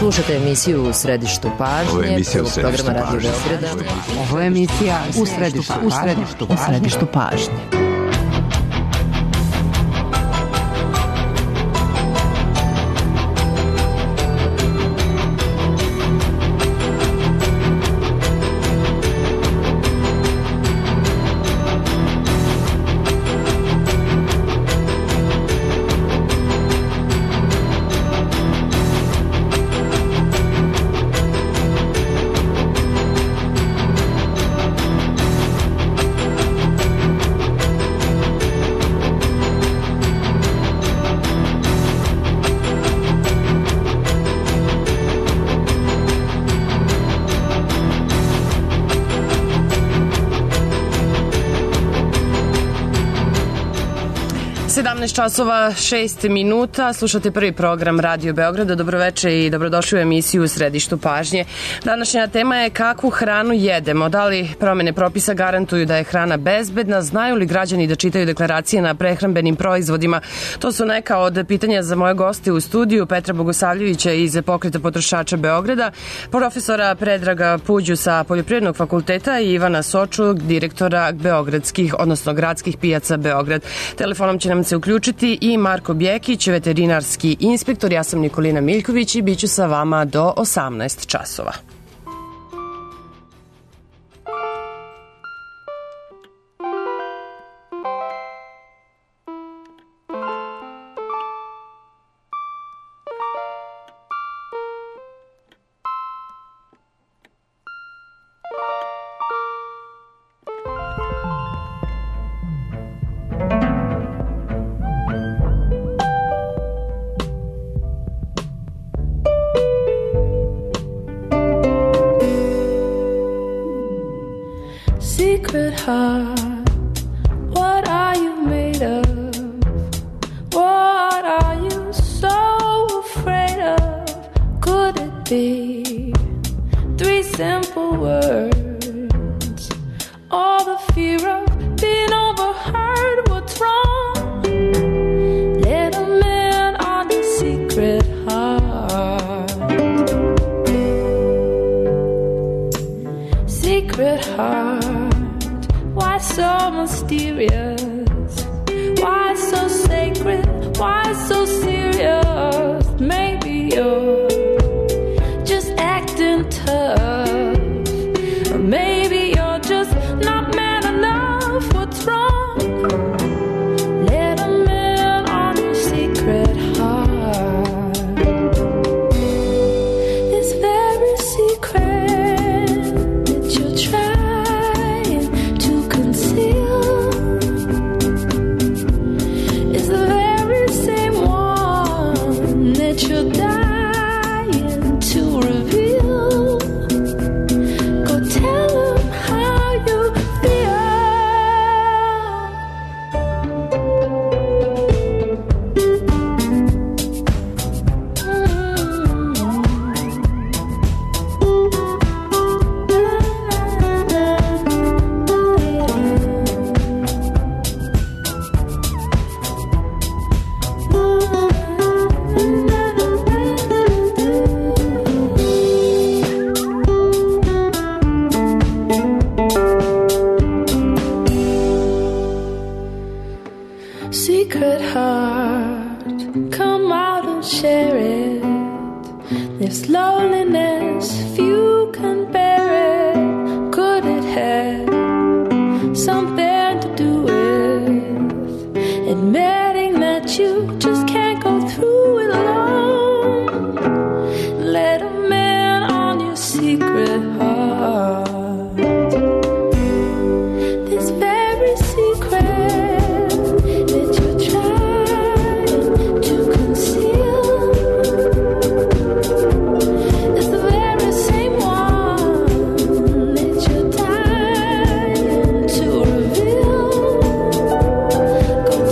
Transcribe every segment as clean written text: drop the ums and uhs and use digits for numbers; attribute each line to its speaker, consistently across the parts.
Speaker 1: Slušate emisiju U središtu pažnje, programa Radio Beograda.
Speaker 2: Ovo je emisija U središtu pažnje.
Speaker 3: Časova 6 minuta, slušate prvi program Radio Beograda. Dobroveče i dobrodošli u emisiju U središtu pažnje. Današnja tema je kakvu hranu jedemo. Da li promene propisa garantuju da je hrana bezbedna? Znaju li građani da čitaju deklaracije na prehrambenim proizvodima? To su neka od pitanja za moje goste u studiju. Petra Bogosavljevića iz Pokreta potrošača Beograda, profesora Predraga Puđu sa Poljoprivrednog fakulteta i Ivana Soču, direktora beogradskih, odnosno gradskih pijaca Beograd. Telefonom će nam se uključiti i Marko Bjekić, veterinarski inspektor. Ja sam Nikolina Miljković i bit ću sa vama do 18 časova.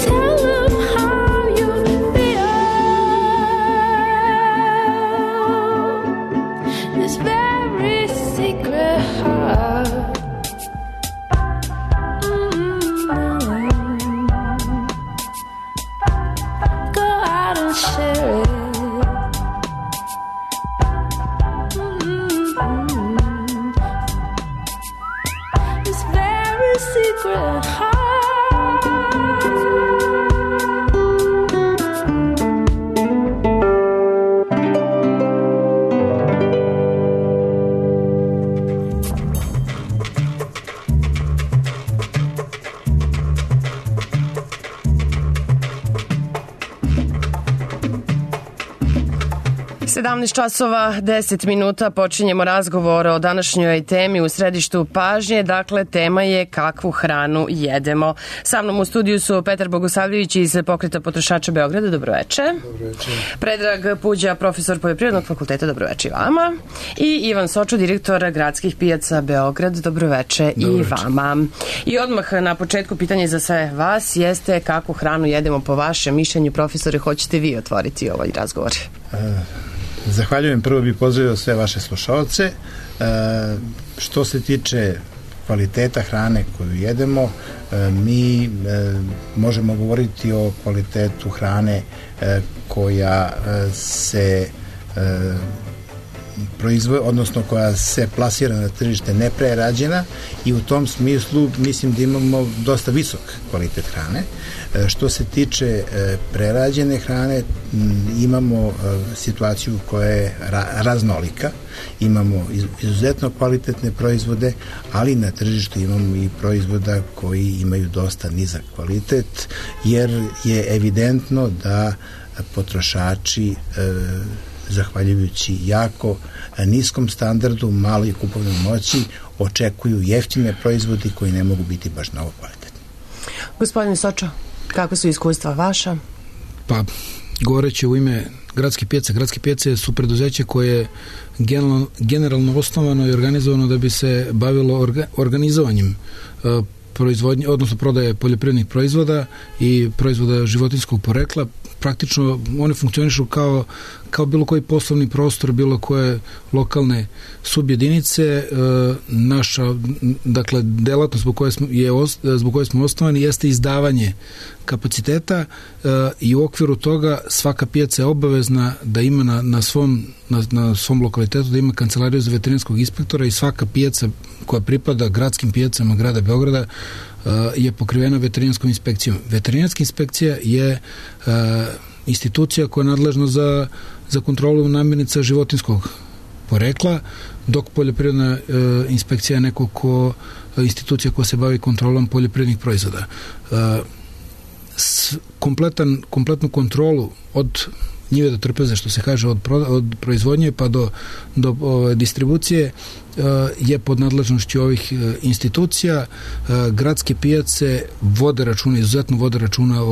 Speaker 4: Tell them how you feel.
Speaker 3: 17 časova 10 minuta počinjemo razgovor o današnjoj temi u središtu pažnje. Dakle, tema je kakvu hranu jedemo. Sa mnom u studiju su Petar Bogosavljević iz Pokreta potrošača Beograda. Dobroveče.
Speaker 4: Dobroveče.
Speaker 3: Predrag Puđa, profesor Poljoprivrednog fakulteta. Dobroveče i vama. I Ivan Sočo, direktor Gradskih pijaca Beograd. Dobroveče i vama. I odmah na početku pitanje za sve vas jeste kakvu hranu jedemo po vašem mišljenju. Profesore, hoćete vi otvoriti ovaj razgovor?
Speaker 4: Zahvaljujem. Prvo bih pozdravio sve vaše slušaoce. Što se tiče kvaliteta hrane koju jedemo, mi možemo govoriti o kvalitetu hrane koja se proizvodi, odnosno koja se plasira na tržište neprerađena, i u tom smislu mislim da imamo dosta visok kvalitet hrane. Što se tiče prerađene hrane, imamo situaciju koja je raznolika. Imamo izuzetno kvalitetne proizvode, ali na tržištu imamo i proizvoda koji imaju dosta nizak kvalitet, jer je evidentno da potrošači zahvaljujući jako niskom standardu, maloj kupovnoj moći, očekuju jeftine proizvodi koji ne mogu biti baš mnogo kvalitetni.
Speaker 3: Gospodine Sočo, kako su iskustva vaša?
Speaker 5: Pa, govoreći u ime Gradske pijace su preduzeće koje je generalno osnovano i organizovano da bi se bavilo organizovanjem proizvodnje, odnosno prodaje poljoprivrednih proizvoda i proizvoda životinjskog porekla. Praktično one funkcionišu kao bilo koji poslovni prostor, bilo koje lokalne subjedinice. Naša, dakle, delatnost zbog koje smo osnovani jeste izdavanje kapaciteta i u okviru toga svaka pijaca je obavezna da ima na svom lokalitetu da ima kancelariju za veterinarskog inspektora, i svaka pijaca koja pripada gradskim pijacama grada Beograda je pokrivena veterinarskom inspekcijom. Veterinarska inspekcija je institucija koja je nadležna za kontrolu namirnica životinjskog porekla, dok poljoprivredna inspekcija je institucija koja se bavi kontrolom poljoprivrednih proizvoda. Kompletnu kontrolu od njive do trpeze, što se kaže, od proizvodnje pa do distribucije je pod nadležnošću ovih institucija. Gradske pijace izuzetno vode računa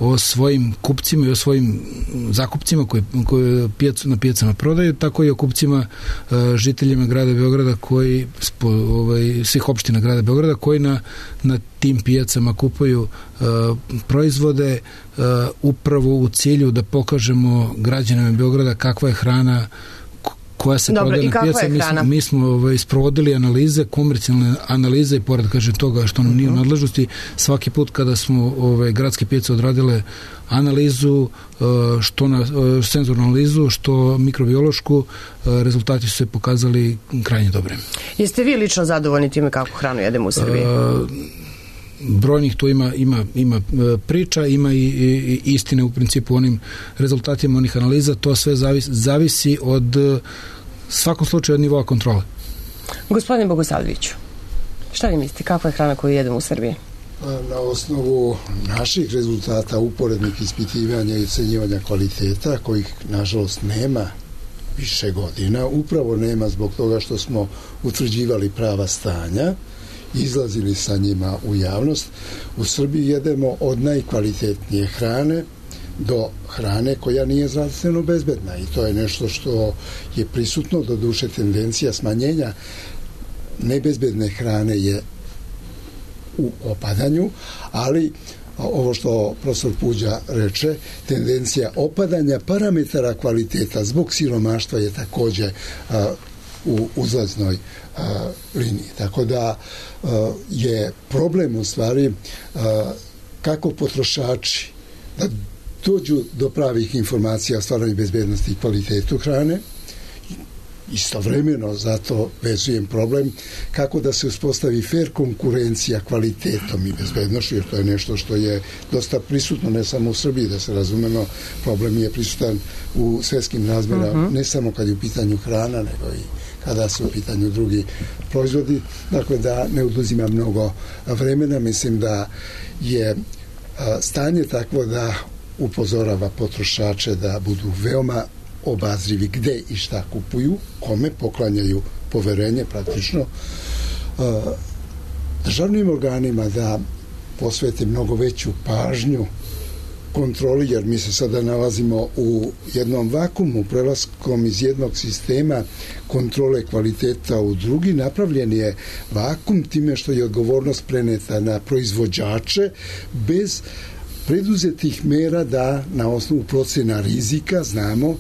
Speaker 5: o svojim kupcima i o svojim zakupcima koje na pijacama prodaju, tako i o kupcima, žiteljima grada Beograda, svih opština grada Beograda koji na tim pijacama kupuju proizvode upravo u cilju da pokažemo građanima Beograda kakva je hrana koja se prodaje na pijaci. Mi smo sprovodili analize, komercijalne analize, i pored toga što nam nije u nadležnosti, svaki put kada smo gradske pijace odradile analizu, što senzornu analizu, što mikrobiološku, rezultati su se pokazali krajnje dobrim.
Speaker 3: Jeste vi lično zadovoljni time kakvu hranu jedemo u Srbiji?
Speaker 5: Brojnih tu ima priča, ima i istine u principu onim rezultatima onih analiza. To sve zavisi od svakom slučaju od nivoa kontrole.
Speaker 3: Gospodine Bogosavljeviću, šta vi mislite, kakva je hrana koju jedemo u Srbiji?
Speaker 6: Na osnovu naših rezultata uporednih ispitivanja i ocenjivanja kvaliteta, kojih nažalost nema više godina, upravo nema zbog toga što smo utvrđivali prava stanja, izlazili sa njima u javnost. U Srbiji jedemo od najkvalitetnije hrane do hrane koja nije zdravstveno bezbedna, i to je nešto što je prisutno. Do duše, tendencija smanjenja nebezbedne hrane je u opadanju, ali ovo što profesor Puđa reče, tendencija opadanja parametara kvaliteta zbog siromaštva je takođe u uzlaznoj liniji. Tako da je problem u stvari kako potrošači da dođu do pravih informacija o stvarnoj bezbednosti i kvalitetu hrane. Istovremeno zato vezujem problem kako da se uspostavi fair konkurencija kvalitetom i bezbednošću, jer to je nešto što je dosta prisutno ne samo u Srbiji, da se razumemo, problem je prisutan u svetskim razmerama, ne samo kad je u pitanju hrana, nego i kada su u pitanju drugi proizvodi. Dakle, da ne oduzima mnogo vremena, mislim da je stanje takvo da upozorava potrošače da budu veoma obazrivi gde i šta kupuju, kome poklanjaju poverenje praktično, državnim organima da posvete mnogo veću pažnju kontroli, jer mi se sada nalazimo u jednom vakumu, prelaskom iz jednog sistema kontrole kvaliteta u drugi. Napravljen je vakum time što je odgovornost preneta na proizvođače bez preduzetih mera da na osnovu procena rizika znamo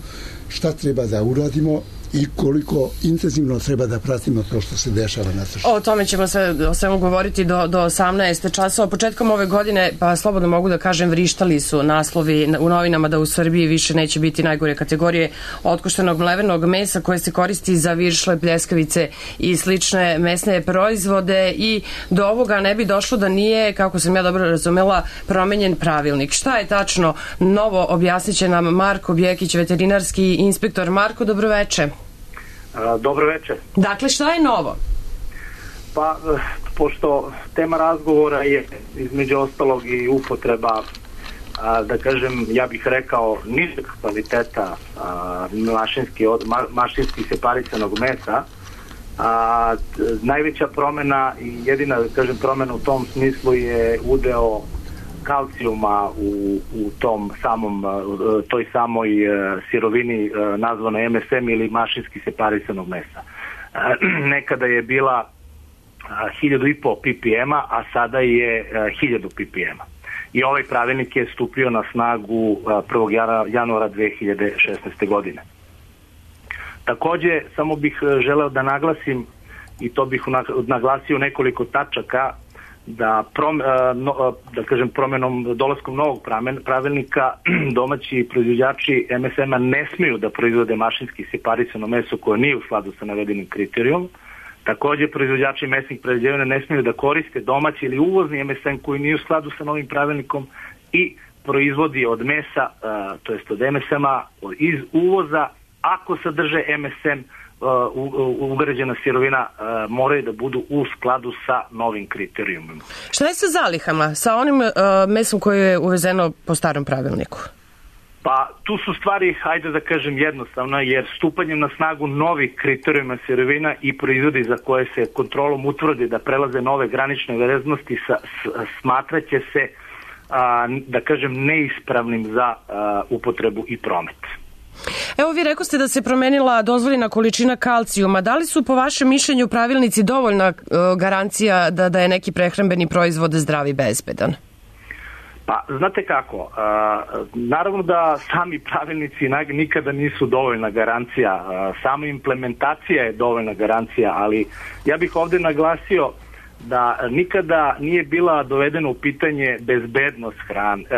Speaker 6: šta treba da uradimo i koliko intenzivno treba da pratimo to što se dešava na tržištu.
Speaker 3: O tome ćemo o svemu govoriti do 18 časova. Početkom ove godine, pa slobodno mogu da kažem, vrištali su naslovi u novinama da u Srbiji više neće biti najgore kategorije otkoštenog mlevenog mesa koje se koristi za viršle, pljeskavice i slične mesne proizvode, i do ovoga ne bi došlo da nije, kako sam ja dobro razumela, promenjen pravilnik. Šta je tačno novo, objasnit će nam Marko Bjekić, veterinarski inspektor. Marko, dobroveče.
Speaker 7: Dobro večer.
Speaker 3: Dakle, šta je novo?
Speaker 7: Pa, pošto tema razgovora je između ostalog i upotreba, da kažem, ja bih rekao, nižeg kvaliteta mašinski separisanog mesa, najveća promena i jedina, da kažem, promena u tom smislu je udeo kalcijuma u toj samoj sirovini nazvanoj MSM ili mašinski separisanog mesa. Nekada je bila 1500 ppm, a sada je 1000 ppm. I ovaj pravilnik je stupio na snagu 1. januara 2016. godine. Takođe, samo bih želeo da naglasim, i to bih naglasio nekoliko tačaka, da kažem, dolaskom novog pravilnika domaći proizvođači MSM-a ne smiju da proizvode mašinski separisano meso koje nije u skladu sa navedenim kriterijom. Takođe, proizvođači mesnih prerađevina ne smiju da koriste domaći ili uvozni MSM koji nije u skladu sa novim pravilnikom i proizvodi od mesa, to jest od MSM-a iz uvoza, ako sadrže MSM, ugrađena sirovina, moraju da budu u skladu sa novim kriterijumima.
Speaker 3: Šta je sa zalihama? Sa onim mesom koje je uvezeno po starom pravilniku?
Speaker 7: Pa tu su stvari, hajde da kažem, jednostavno, jer stupanjem na snagu novih kriterijuma sirovina i proizvodi za koje se kontrolom utvrdi da prelaze nove granične vrednosti, smatraće se, da kažem, neispravnim za upotrebu i promet.
Speaker 3: Evo, vi rekoste da se promenila dozvoljena količina kalcijuma. Da li su po vašem mišljenju pravilnici dovoljna garancija da je neki prehrambeni proizvod zdrav i bezbedan?
Speaker 7: Pa, znate kako, naravno da sami pravilnici nikada nisu dovoljna garancija, sama implementacija je dovoljna garancija, ali ja bih ovde naglasio da nikada nije bila dovedena u pitanje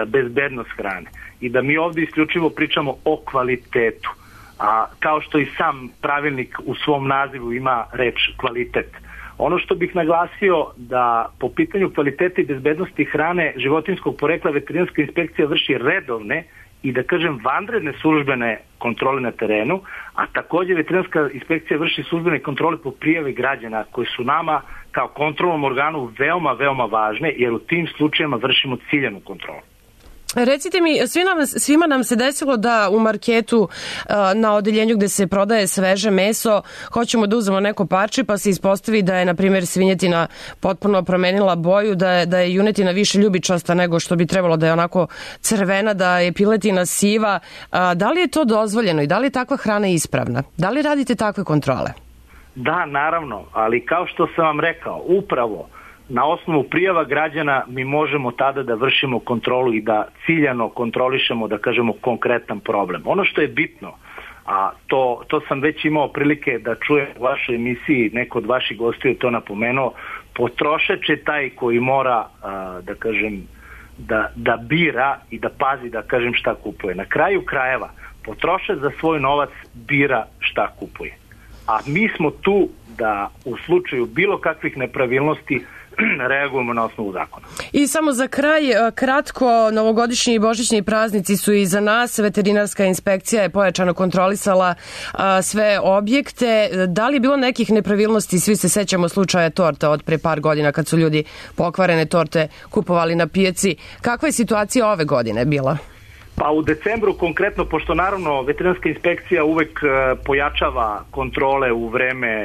Speaker 7: bezbednost hrane i da mi ovde isključivo pričamo o kvalitetu, a kao što i sam pravilnik u svom nazivu ima reč kvalitet. Ono što bih naglasio da po pitanju kvaliteta i bezbednosti hrane životinjskog porekla veterinarska inspekcija vrši redovne i, da kažem, vanredne službene kontrole na terenu, a takođe veterinarska inspekcija vrši službene kontrole po prijavi građana koje su nama kao kontrolnom organu veoma, veoma važne, jer u tim slučajima vršimo ciljanu kontrolu.
Speaker 3: Recite mi, svima nam se desilo da u marketu na odeljenju gde se prodaje sveže meso hoćemo da uzmemo neko parče, pa se ispostavi da je, na primjer, svinjetina potpuno promenila boju, da je junetina više ljubičasta nego što bi trebalo, da je onako crvena, da je piletina siva. Da li je to dozvoljeno i da li je takva hrana ispravna? Da li radite takve kontrole?
Speaker 7: Da, naravno, ali kao što sam vam rekao, upravo na osnovu prijava građana mi možemo tada da vršimo kontrolu i da ciljano kontrolišemo, da kažemo, konkretan problem. Ono što je bitno, a to sam već imao prilike da čujem u vašoj emisiji, neko od vaših gostiju je to napomenuo, potrošač je taj koji mora, da kažem, da bira i da pazi, da kažem, šta kupuje. Na kraju krajeva, potrošač za svoj novac bira šta kupuje. A mi smo tu da u slučaju bilo kakvih nepravilnosti reagujemo na osnovu zakona. I
Speaker 3: samo za kraj, kratko, novogodišnji i božićni praznici su iza nas. Veterinarska inspekcija je pojačano kontrolisala sve objekte. Da li je bilo nekih nepravilnosti? Svi se sećamo slučaja torta od pre par godina kad su ljudi pokvarene torte kupovali na pijaci. Kakva je situacija ove godine bila?
Speaker 7: Pa u decembru konkretno, pošto naravno veterinarska inspekcija uvek pojačava kontrole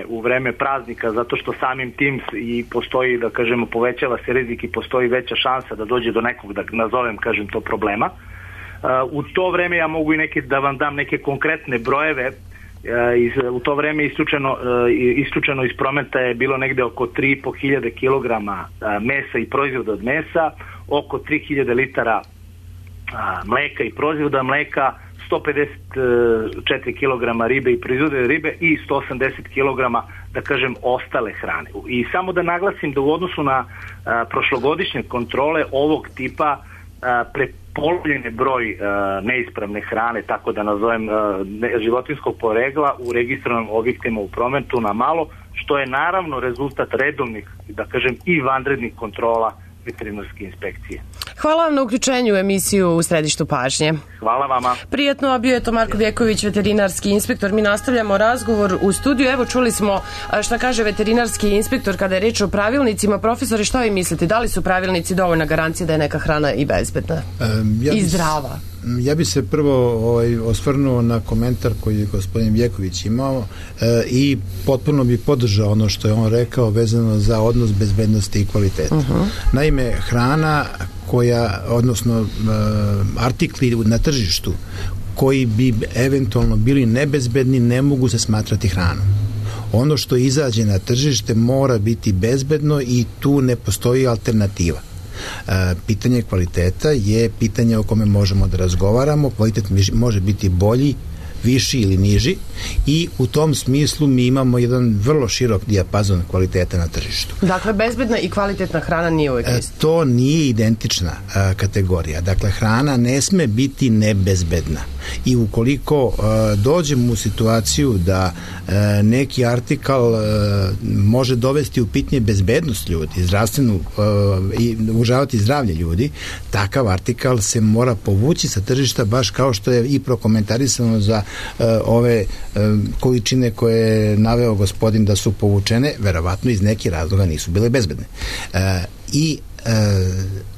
Speaker 7: u vreme praznika, zato što samim tim i postoji, da kažemo, povećava se rizik i postoji veća šansa da dođe do nekog, da nazovem, kažem to, problema. U to vreme ja mogu i da vam dam neke konkretne brojeve. U to vreme isključeno iz prometa je bilo negde oko 3.500 kilograma mesa i proizvoda od mesa, oko 3.000 litara mleka i proizvoda mleka, 154 kg ribe i proizvode ribe i 180 kg, da kažem, ostale hrane. I samo da naglasim da u odnosu na prošlogodišnje kontrole ovog tipa prepolovljen je broj neispravne hrane, tako da nazovem životinjskog porekla u registrovanim objektima u prometu na malo, što je naravno rezultat redovnih, da kažem, i vanrednih kontrola veterinarske inspekcije.
Speaker 3: Hvala vam na uključenju u emisiju U središtu pažnje.
Speaker 7: Hvala vama.
Speaker 3: Prijatno, a bio je to Marko Vjeković, veterinarski inspektor. Mi nastavljamo razgovor u studiju. Evo, čuli smo šta kaže veterinarski inspektor kada je reč o pravilnicima. Profesore, šta vi mislite? Da li su pravilnici dovoljna garancija da je neka hrana i bezbedna i zdrava?
Speaker 4: Ja bi se prvo osvrnuo na komentar koji je gospodin Vjeković imao i potpuno bi podržao ono što je on rekao vezano za odnos bezbednosti i kvaliteta. Naime, hrana odnosno artikli na tržištu koji bi eventualno bili nebezbedni ne mogu se smatrati hranom. Ono što izađe na tržište mora biti bezbedno i tu ne postoji alternativa. Pitanje kvaliteta je pitanje o kome možemo da razgovaramo. Kvalitet može biti bolji, viši ili niži i u tom smislu mi imamo jedan vrlo širok dijapazon kvaliteta na tržištu.
Speaker 3: Dakle, bezbedna i kvalitetna hrana nije uvijek isto.
Speaker 4: To nije identična kategorija. Dakle, hrana ne sme biti nebezbedna i ukoliko dođemo u situaciju da neki artikal može dovesti u pitanje bezbednost ljudi, zdravstvenu i ugrožavati zdravlje ljudi, takav artikal se mora povući sa tržišta, baš kao što je i prokomentarisano za ove količine koje je naveo gospodin da su povučene, verovatno iz nekih razloga nisu bile bezbedne. I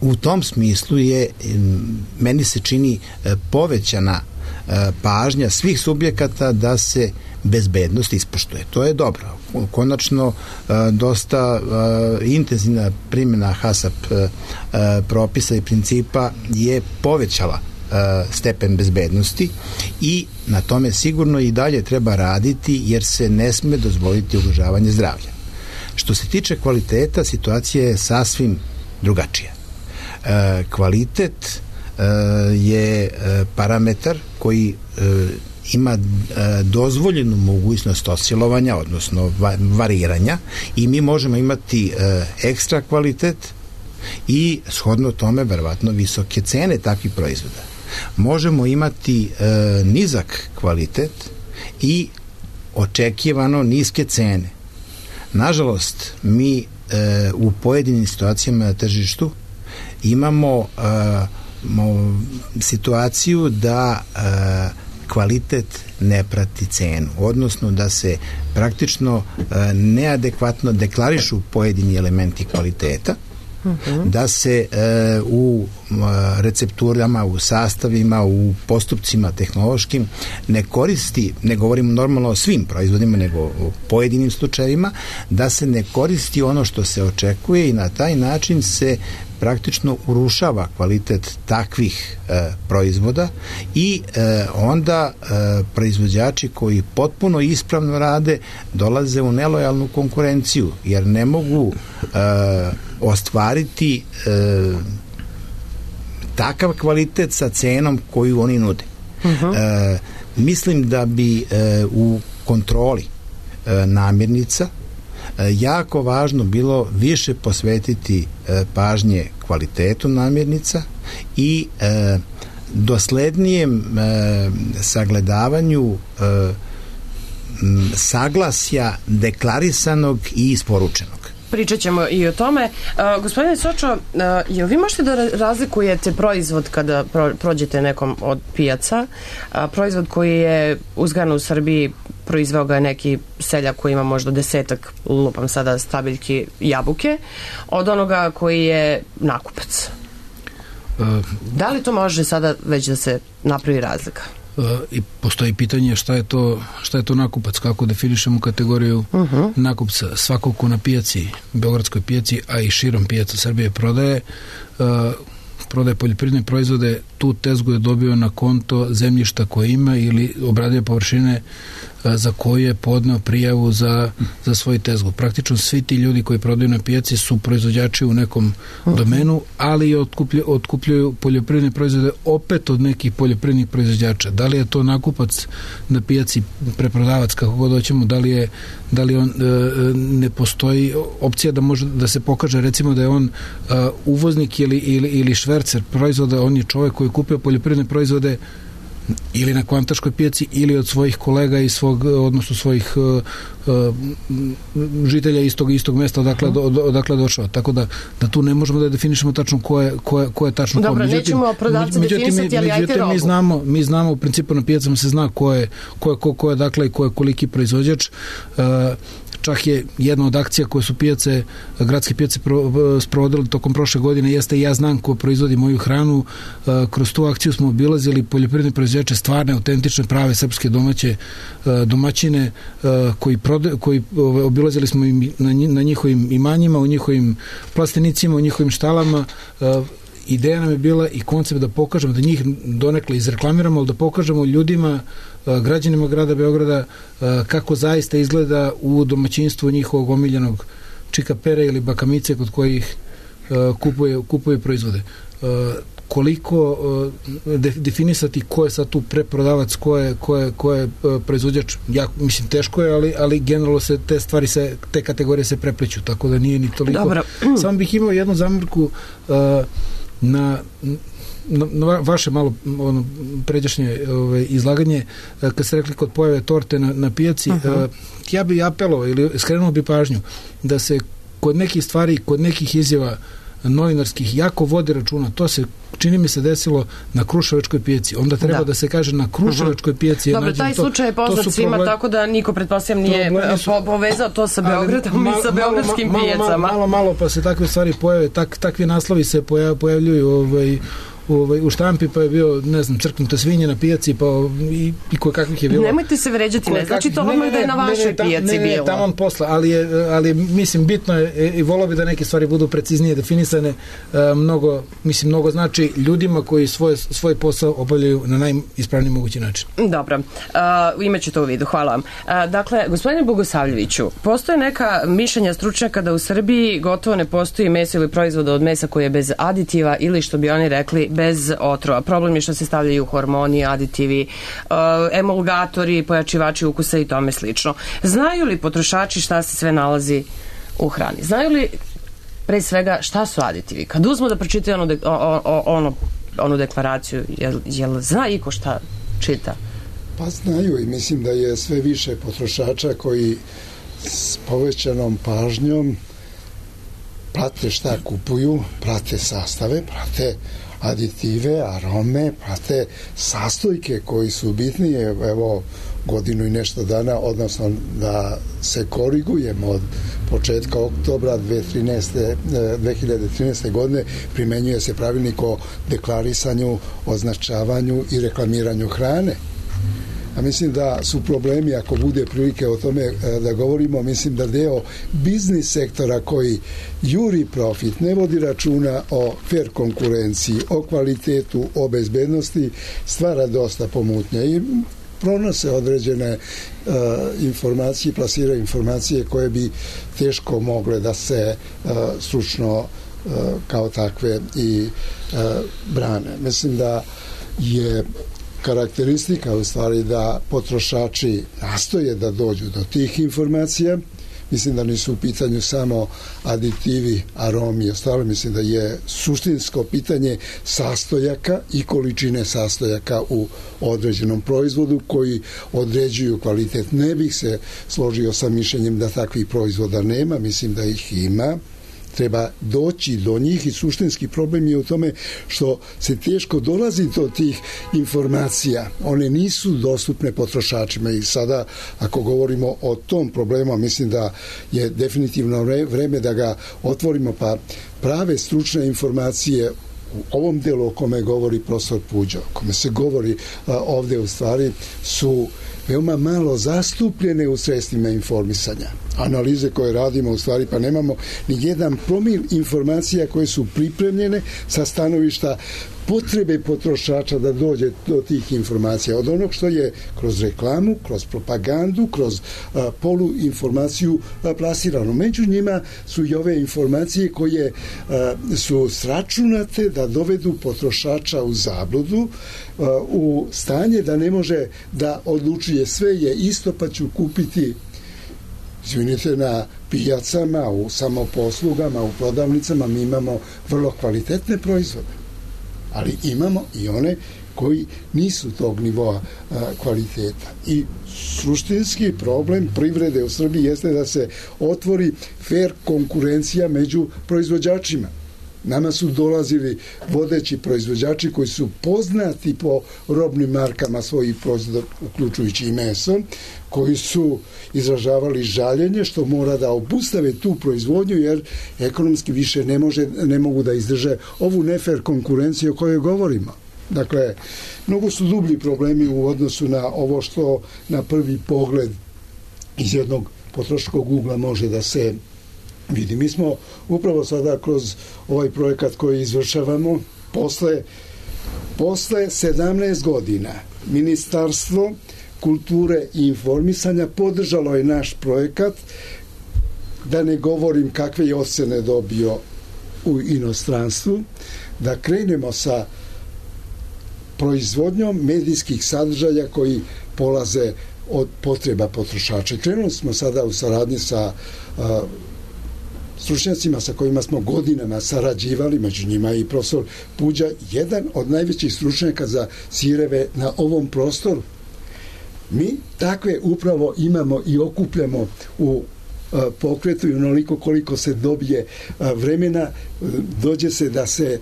Speaker 4: u tom smislu je, meni se čini, povećana pažnja svih subjekata da se bezbednost ispoštuje. To je dobro. Konačno, dosta intenzivna primjena HACCP propisa i principa je povećala stepen bezbednosti i na tome sigurno i dalje treba raditi jer se ne sme dozvoliti ugrožavanje zdravlja. Što se tiče kvaliteta, situacija je sasvim drugačija. Kvalitet je parametar koji ima dozvoljenu mogućnost oscilovanja, odnosno variranja i mi možemo imati ekstra kvalitet i shodno tome verovatno visoke cene takvih proizvoda. Možemo imati nizak kvalitet i očekivano niske cene. Nažalost, mi u pojedinim situacijama na tržištu imamo situaciju da kvalitet ne prati cenu, odnosno da se praktično neadekvatno deklarišu pojedini elementi kvaliteta, da se u recepturama, u sastavima, u postupcima tehnološkim ne koristi, ne govorimo normalno o svim proizvodima, nego o pojedinim slučajevima, da se ne koristi ono što se očekuje i na taj način se praktično urušava kvalitet takvih proizvoda i onda proizvođači koji potpuno ispravno rade dolaze u nelojalnu konkurenciju jer ne mogu ostvariti takav kvalitet sa cenom koju oni nude. Mislim da bi u kontroli namirnica jako važno bilo više posvetiti pažnje kvalitetu namirnica i doslednijem sagledavanju saglasja deklarisanog i isporučenog.
Speaker 3: Pričat ćemo i o tome. Gospodine Sočo, jel vi možete da razlikujete proizvod kada prođete nekom od pijaca, proizvod koji je uzgajan u Srbiji, proizveo ga je neki seljak koji ima možda 10, lupam sada, stabiljki jabuke, od onoga koji je nakupac? Da li to može sada već da se napravi razlika?
Speaker 5: I postoji pitanje šta je to nakupac, kako definišemo kategoriju nakupca. Svako ko na pijaci, beogradskoj pijaci, a i širom pijaca Srbije prodaje poljoprivredne proizvode, tu tezgu je dobio na konto zemljišta koje ima ili obradio površine za koje je podneo prijavu za svoj tezgu. Praktično svi ti ljudi koji prodaju na pijaci su proizvođači u nekom domenu, ali i otkupljuju poljoprivredne proizvode opet od nekih poljoprivrednih proizvođača. Da li je to nakupac na pijaci, preprodavac, kako god hoćemo, da li on ne postoji opcija da može da se pokaže recimo da je on uvoznik ili švercer proizvoda, on je čovjek koji je kupio poljoprivredne proizvode ili na kvantaškoj pijaci ili od svojih kolega i odnosno svojih žitelja istog mesta odakle došao. Tako da tu ne možemo da definišemo tačno ko je tačno.
Speaker 3: Dobro, nećemo prodavce definisati, ali ajte robu.
Speaker 5: Mi znamo, u principu na pijacama se zna ko je dakle i ko je koliki proizvođač. Čak je jedna od akcija koje su gradske pijace sprovodile tokom prošle godine jeste ja znam ko proizvodi moju hranu. Kroz tu akciju smo obilazili poljoprivredne proizvođače, stvarne, autentične, prave srpske domaćine koji obilazili smo na njihovim imanjima, u njihovim plastenicima, u njihovim štalama. Ideja nam je bila i koncept da pokažemo, da njih donekle izreklamiramo, ali da pokažemo ljudima, građanima grada Beograda kako zaista izgleda u domaćinstvu njihovog omiljenog čikapere ili bakamice kod kojih kupuje proizvode. Koliko definisati ko je sad tu preprodavac, ko je proizvođač, ja mislim teško je, ali generalno se te kategorije se prepliću, tako da nije ni toliko.
Speaker 3: Dobro.
Speaker 5: Samo bih imao jednu zamrku na vaše malo pređašnje izlaganje, kad ste rekli kod pojave torte na pijaci, ja bih apelovao ili skrenuo bi pažnju da se kod nekih stvari, kod nekih izjava novinarskih jako vodi računa. To se, čini mi se, desilo na Kruševačkoj pijaci. Onda treba da se kaže na Kruševačkoj pijaci.
Speaker 3: Dobro, taj slučaj je poznat svima, tako da niko, pretpostavljam, nije povezao to sa Beogradom i sa beogradskim pijacama.
Speaker 5: Malo pa se takve stvari pojave, takvi naslovi se pojavljuju u štampi, pa je bio, ne znam, crknuta svinja na pijaci, pa i koje kakvih je bilo.
Speaker 3: Nemojte se vređati, ne znači to odmah da je na vašoj pijaci bilo.
Speaker 5: Ne, tamo posla, ali mislim, bitno je i volio bi da neke stvari budu preciznije definisane. Mnogo znači ljudima koji svoj posao obavljaju na najispravniji mogući način.
Speaker 3: Dobro, imaću to u vidu, hvala vam. Dakle, gospodine Bogosavljeviću, postoje neka mišljenja stručnjaka da u Srbiji gotovo ne postoji meso ili proizvoda od mesa koji je bez aditiva ili, što bi oni rekli, bez otrova. Problem je što se stavljaju hormoni, aditivi, emulgatori, pojačivači ukusa i tome slično. Znaju li potrošači šta se sve nalazi u hrani? Znaju li pre svega šta su aditivi? Kad uzmu da pročitaju onu deklaraciju, jel zna iko šta čita?
Speaker 6: Pa znaju, i mislim da je sve više potrošača koji s povećanom pažnjom prate šta kupuju, prate sastave, prate aditive, arome, prate sastojke koji su bitnije, evo, godinu i nešto dana, odnosno da se korigujemo od početka oktobra 2013. godine primenjuje se pravilnik o deklarisanju, označavanju i reklamiranju hrane. A mislim da su problemi, ako bude prilike o tome da govorimo, mislim da deo biznis sektora koji juri profit, ne vodi računa o fair konkurenciji, o kvalitetu, o bezbednosti, stvara dosta pomutnje i pronose određene informacije, plasiraju informacije koje bi teško mogle da se stručno kao takve i brane. Mislim da je karakteristika u stvari da potrošači nastoje da dođu do tih informacija. Mislim da nisu u pitanju samo aditivi, aromi i ostalo. Mislim da je suštinsko pitanje sastojaka i količine sastojaka u određenom proizvodu koji određuju kvalitet. Ne bih se složio sa mišljenjem da takvih proizvoda nema. Mislim da ih ima. Treba doći do njih i suštinski problem je u tome što se teško dolazi do tih informacija. One nisu dostupne potrošačima i sada, ako govorimo o tom problemu, mislim da je definitivno vreme da ga otvorimo, pa prave stručne informacije u ovom delu o kome govori profesor Puđo, o kome se govori ovde u stvari, su veoma malo zastupljene u sredstvima informisanja. Analize koje radimo u stvari, pa nemamo ni jedan promil informacija koje su pripremljene sa stanovišta potrebe potrošača da dođe do tih informacija. Od onog što je kroz reklamu, kroz propagandu, kroz poluinformaciju plasirano. Među njima su i ove informacije koje su sračunate da dovedu potrošača u zabludu, u stanje da ne može da odlučuje sve je isto pa ću kupiti, izvinite, na pijacama, u samoposlugama, u prodavnicama mi imamo vrlo kvalitetne proizvode. Ali imamo i one koji nisu tog nivoa kvaliteta. I suštinski problem privrede u Srbiji jeste da se otvori fair konkurencija među proizvođačima. Nama su dolazili vodeći proizvođači koji su poznati po robnim markama svojih proizvoda, uključujući i meso, koji su izražavali žaljenje što mora da obustave tu proizvodnju jer ekonomski više ne mogu da izdrže ovu nefer konkurenciju o kojoj govorimo. Dakle, mnogo su dublji problemi u odnosu na ovo što na prvi pogled iz jednog potrošačkog ugla može da se vidi. Mi smo upravo sada kroz ovaj projekat koji izvršavamo posle 17 godina Ministarstvo kulture i informisanja podržalo je naš projekat, da ne govorim kakve je ocene dobio u inostranstvu, da krenemo sa proizvodnjom medijskih sadržaja koji polaze od potreba potrošača. Krenuli smo sada u saradnji sa stručnjacima sa kojima smo godinama sarađivali, među njima i profesor Puđa, jedan od najvećih stručnjaka za sireve na ovom prostoru. Mi takve upravo imamo i okupljamo u pokretu i onoliko koliko se dobije vremena, dođe se da se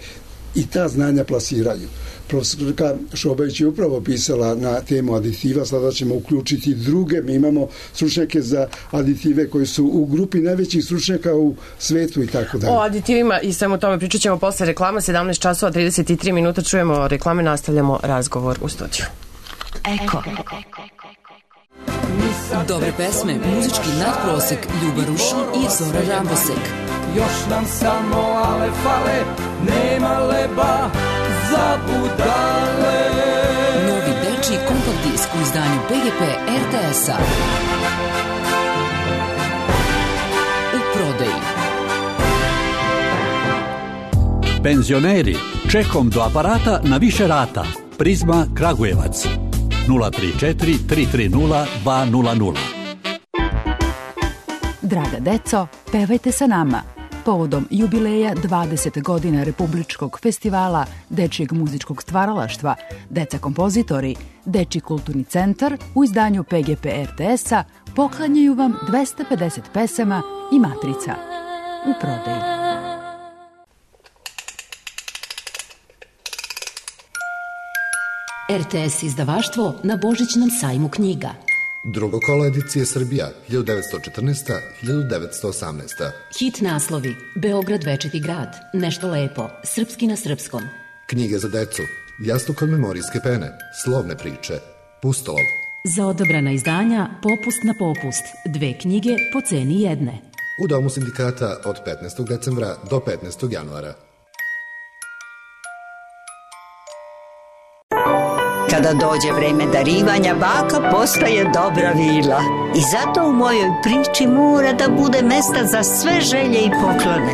Speaker 6: i ta znanja plasiraju. Profesorka Šobajić je upravo pisala na temu aditiva, sada ćemo uključiti druge. Mi imamo stručnjake za aditive koji su u grupi najvećih stručnjaka u svetu i tako dalje.
Speaker 3: O aditivima i samo o tome pričat ćemo posle reklama, 17 časova 33 minuta, čujemo reklame, nastavljamo razgovor u studiju.
Speaker 2: Eko.
Speaker 8: Dobre pesme, muzički nadprosek, Ljuba Rušan i Zora Rambosek.
Speaker 9: Još nam samo ale fale, nema leba za budale.
Speaker 8: Novi dečiji kompakt disk u izdanju PGP RTS-a. U prodaji.
Speaker 10: Penzioneri, čekom do aparata na više rata. Prizma Kragujevac. 034 330 200.
Speaker 2: Draga deco, pevajte sa nama. Povodom jubileja 20 godina Republičkog festivala dečijeg muzičkog stvaralaštva, Deca kompozitori, Dečiji kulturni centar u izdanju PGP RTS-a poklanjaju vam 250 pesama i matrica. U prodaji.
Speaker 11: RTS izdavaštvo na Božićnom sajmu knjiga.
Speaker 12: Drugo kolo edicije Srbija, 1914-1918.
Speaker 11: Hit naslovi: Beograd večiti grad, Nešto lepo, Srpski na srpskom.
Speaker 12: Knjige za decu, Jastukon memorijske pene, Slovne priče, Pustolov.
Speaker 11: Za odabrana izdanja Popust na popust, 2 knjige po ceni jedne.
Speaker 12: U Domu sindikata od 15. decembra do 15. januara.
Speaker 13: Kada dođe vreme darivanja, baka postaje dobra vila. I zato u mojoj priči mora da bude mesta za sve želje i poklone.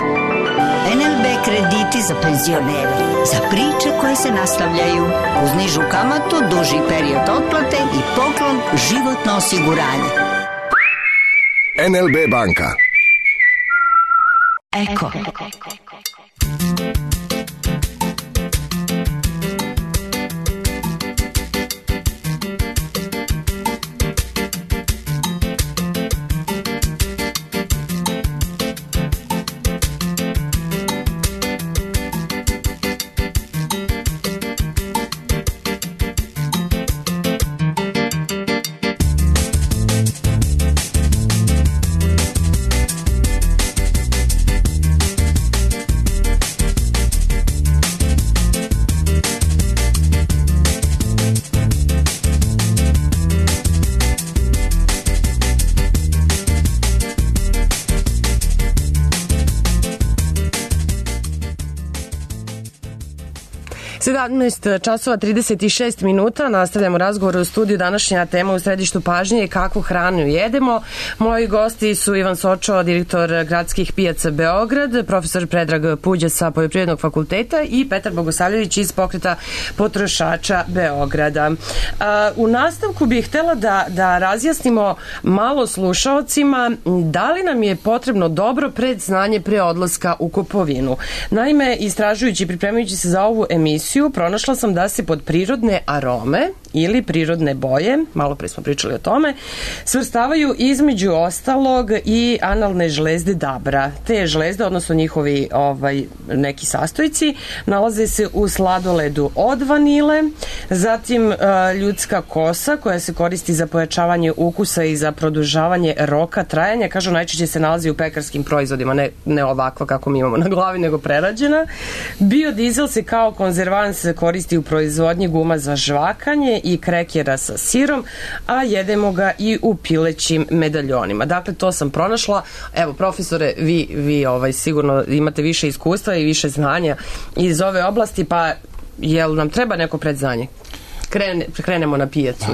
Speaker 13: NLB krediti za penzionere, za priče koje se nastavljaju, uz nižu kamatu, duži period otplate i poklon životno osiguranje.
Speaker 14: NLB banka.
Speaker 2: Eko.
Speaker 3: 17 časova 36 minuta, nastavljamo razgovor u studiju. Današnja tema u središtu pažnje je kakvu hranu jedemo. Moji gosti su Ivan Sočo, direktor Gradskih pijaca Beograd, profesor Predrag Puđa sa Poljoprivrednog fakulteta i Petar Bogosavljević iz Pokreta potrošača Beograda. U nastavku bih htjela da razjasnimo malo slušaocima da li nam je potrebno dobro predznanje pre odlaska u kupovinu. Naime, istražujući i pripremajući se za ovu emisiju, pronašla sam da se pod prirodne arome ili prirodne boje, malo pre smo pričali o tome, svrstavaju između ostalog i analne žlezde dabra. Te žlezde, odnosno njihovi neki sastojci, nalaze se u sladoledu od vanile, zatim ljudska kosa koja se koristi za pojačavanje ukusa i za produžavanje roka trajanja, kažu najčešće se nalazi u pekarskim proizvodima, ne ovakva kako mi imamo na glavi, nego prerađena. Biodizel se kao konzervans koristi u proizvodnji guma za žvakanje i krekera sa sirom, a jedemo ga i u pilećim medaljonima. Dakle, to sam pronašla. Evo, profesore, vi sigurno imate više iskustva i više znanja iz ove oblasti, pa jel nam treba neko predznanje? Krenemo na pijacu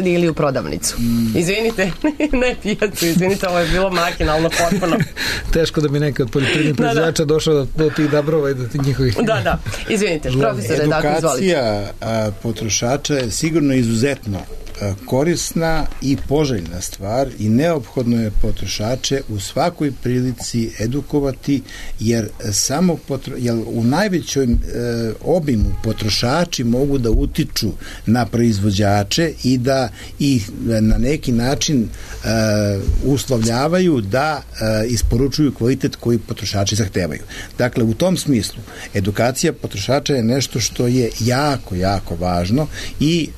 Speaker 3: ili u prodavnicu. Izvinite, ne pijacu, izvinite, ovo je bilo makinalno potpuno.
Speaker 5: Teško da bi neka od poljoprivrednih proizvođača došao do tih dabrova i do tih njihovih...
Speaker 3: Da, izvinite, profesore, dakle, izvolite.
Speaker 4: Edukacija potrošača je sigurno izuzetno korisna i poželjna stvar i neophodno je potrošače u svakoj prilici edukovati, jer u najvećoj obimu potrošači mogu da utiču na proizvođače i da ih na neki način uslovljavaju da isporučuju kvalitet koji potrošači zahtevaju. Dakle, u tom smislu edukacija potrošača je nešto što je jako, jako važno i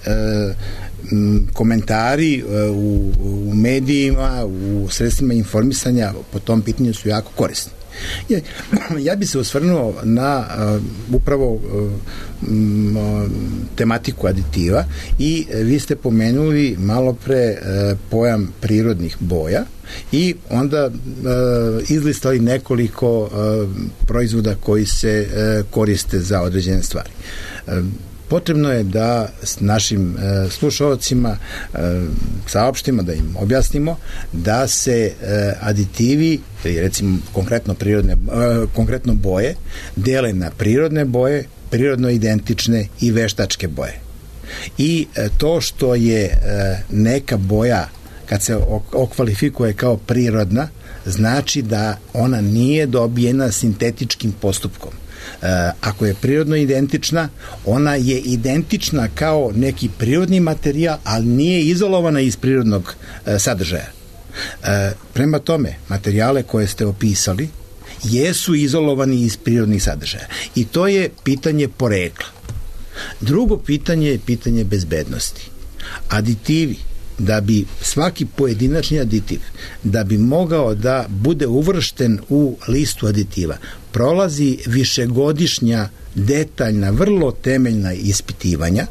Speaker 4: komentari u medijima, u sredstvima informisanja po tom pitanju su jako korisni. Ja bi se osvrnuo na upravo tematiku aditiva i vi ste pomenuli malo pre pojam prirodnih boja i onda izlistali nekoliko proizvoda koji se koriste za određene stvari. Potrebno je da s našim slušalcima saopštimo, da im objasnimo da se aditivi, recimo konkretno boje, dele na prirodne boje, prirodno identične i veštačke boje. I to što je neka boja, kad se okvalifikuje kao prirodna, znači da ona nije dobijena sintetičkim postupkom. Ako je prirodno identična, ona je identična kao neki prirodni materijal, ali nije izolovana iz prirodnog sadržaja. Prema tome, materijale koje ste opisali jesu izolovani iz prirodnih sadržaja. I to je pitanje porekla. Drugo pitanje je pitanje bezbednosti. Aditivi, da bi svaki pojedinačni aditiv, da bi mogao da bude uvršten u listu aditiva, prolazi višegodišnja, detaljna, vrlo temeljna ispitivanja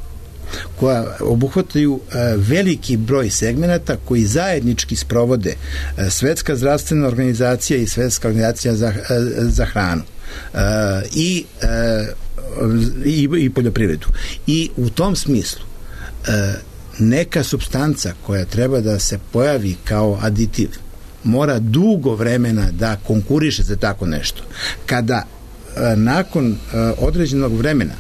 Speaker 4: koja obuhvataju veliki broj segmenata koji zajednički sprovode Svetska zdravstvena organizacija i Svetska organizacija za hranu i poljoprivredu. I u tom smislu neka supstanca koja treba da se pojavi kao aditiv mora dugo vremena da konkuriše za tako nešto. Kada nakon određenog vremena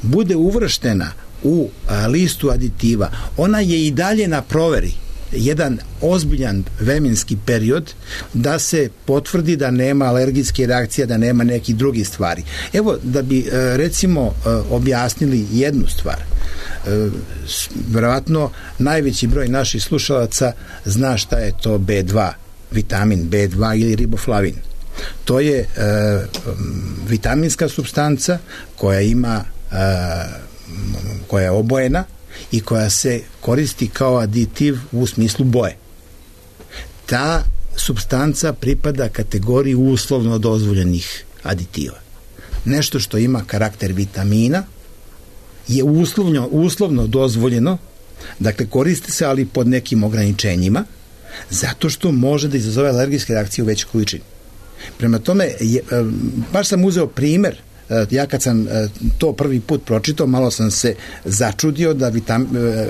Speaker 4: bude uvrštena u listu aditiva, ona je i dalje na proveri jedan ozbiljan vremenski period da se potvrdi da nema alergijske reakcije, da nema nekih drugih stvari. Evo, da bi recimo objasnili jednu stvar. Verovatno najveći broj naših slušalaca zna šta je to B2, vitamin B2 ili riboflavin. To je vitaminska supstanca koja ima koja je obojena i koja se koristi kao aditiv u smislu boje. Ta supstanca pripada kategoriji uslovno dozvoljenih aditiva. Nešto što ima karakter vitamina je uslovno dozvoljeno, dakle koristi se, ali pod nekim ograničenjima, zato što može da izazove alergijske reakcije u većoj količini. Prema tome, baš sam uzeo primer ja kad sam to prvi put pročitao, malo sam se začudio da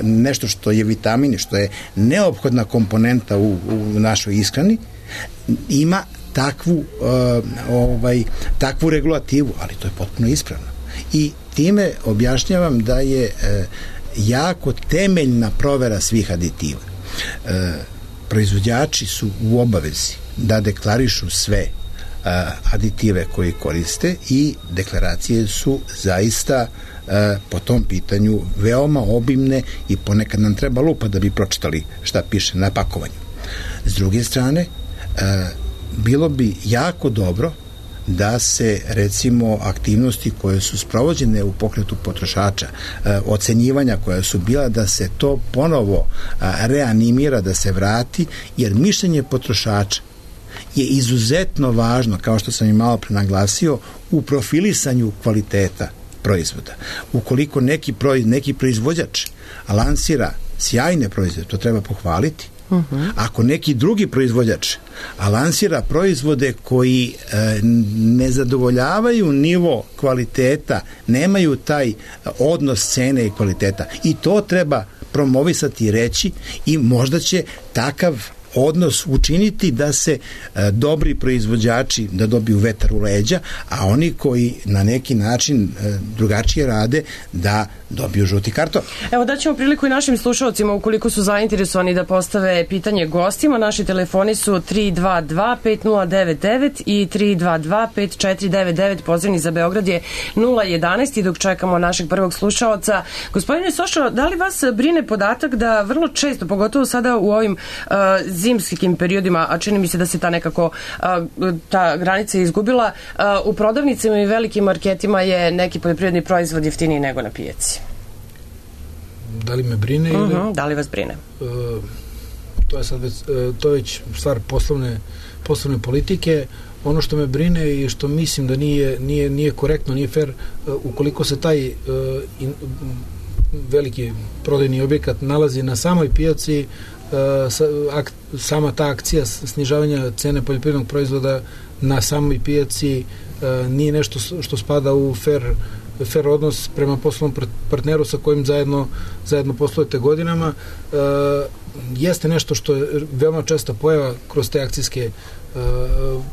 Speaker 4: nešto što je vitamin, što je neophodna komponenta u našoj ishrani, ima takvu regulativu, ali to je potpuno ispravno. I time objašnjavam da je jako temeljna provera svih aditiva. Proizvođači su u obavezi da deklarišu sve aditive koji koriste i deklaracije su zaista po tom pitanju veoma obimne i ponekad nam treba lupa da bi pročitali šta piše na pakovanju. S druge strane, bilo bi jako dobro da se, recimo, aktivnosti koje su sprovođene u pokretu potrošača, ocenjivanja koja su bila, da se to ponovo reanimira, da se vrati, jer mišljenje potrošača je izuzetno važno, kao što sam i malo pre naglasio, u profilisanju kvaliteta proizvoda. Ukoliko neki proizvođač lansira sjajne proizvode, to treba pohvaliti. Ako neki drugi proizvođač lansira proizvode koji ne zadovoljavaju nivo kvaliteta, nemaju taj odnos cene i kvaliteta, i to treba promovisati i reći, i možda će takav odnos učiniti da se dobri proizvođači da dobiju vetar u leđa, a oni koji na neki način drugačije rade da dobiju žuti karton.
Speaker 3: Evo, daćemo priliku i našim slušalcima, ukoliko su zainteresovani da postave pitanje gostima. Naši telefoni su 322-5099 i 322-5499. Pozivni za Beograd je 011. I dok čekamo našeg prvog slušalca, gospodine Sošo, da li vas brine podatak da vrlo često, pogotovo sada u ovim zimskim periodima, a čini mi se da se ta nekako ta granica izgubila, u prodavnicama i velikim marketima je neki poljoprivredni proizvod jeftiniji nego na pijaci?
Speaker 5: Da li me brine ili...
Speaker 3: Da li vas brine?
Speaker 5: To je već stvar poslovne politike. Ono što me brine i što mislim da nije korektno, nije fair, ukoliko se taj veliki prodajni objekat nalazi na samoj pijaci, sama ta akcija snižavanja cene poljoprivrednog proizvoda na samoj pijaci nije nešto što spada u fair odnos prema poslovnom partneru sa kojim zajedno poslujete godinama. Jeste nešto što je veoma česta pojava kroz te akcijske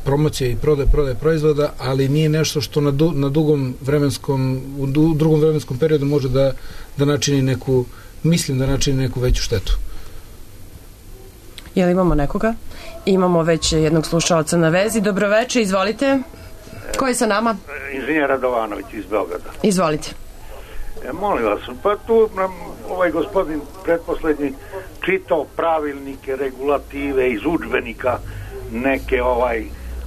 Speaker 5: promocije i prodaje proizvoda, ali nije nešto što u drugom vremenskom periodu može da načini neku veću štetu.
Speaker 3: Jel imamo nekoga? Imamo već jednog slušalca na vezi. Dobroveče, izvolite. Ko je sa nama?
Speaker 14: Inženjer Radovanović iz Beograda.
Speaker 3: Izvolite.
Speaker 14: Molim vas, pa tu nam ovaj gospodin pretposlednji čitao pravilnike, regulative iz udžbenika neke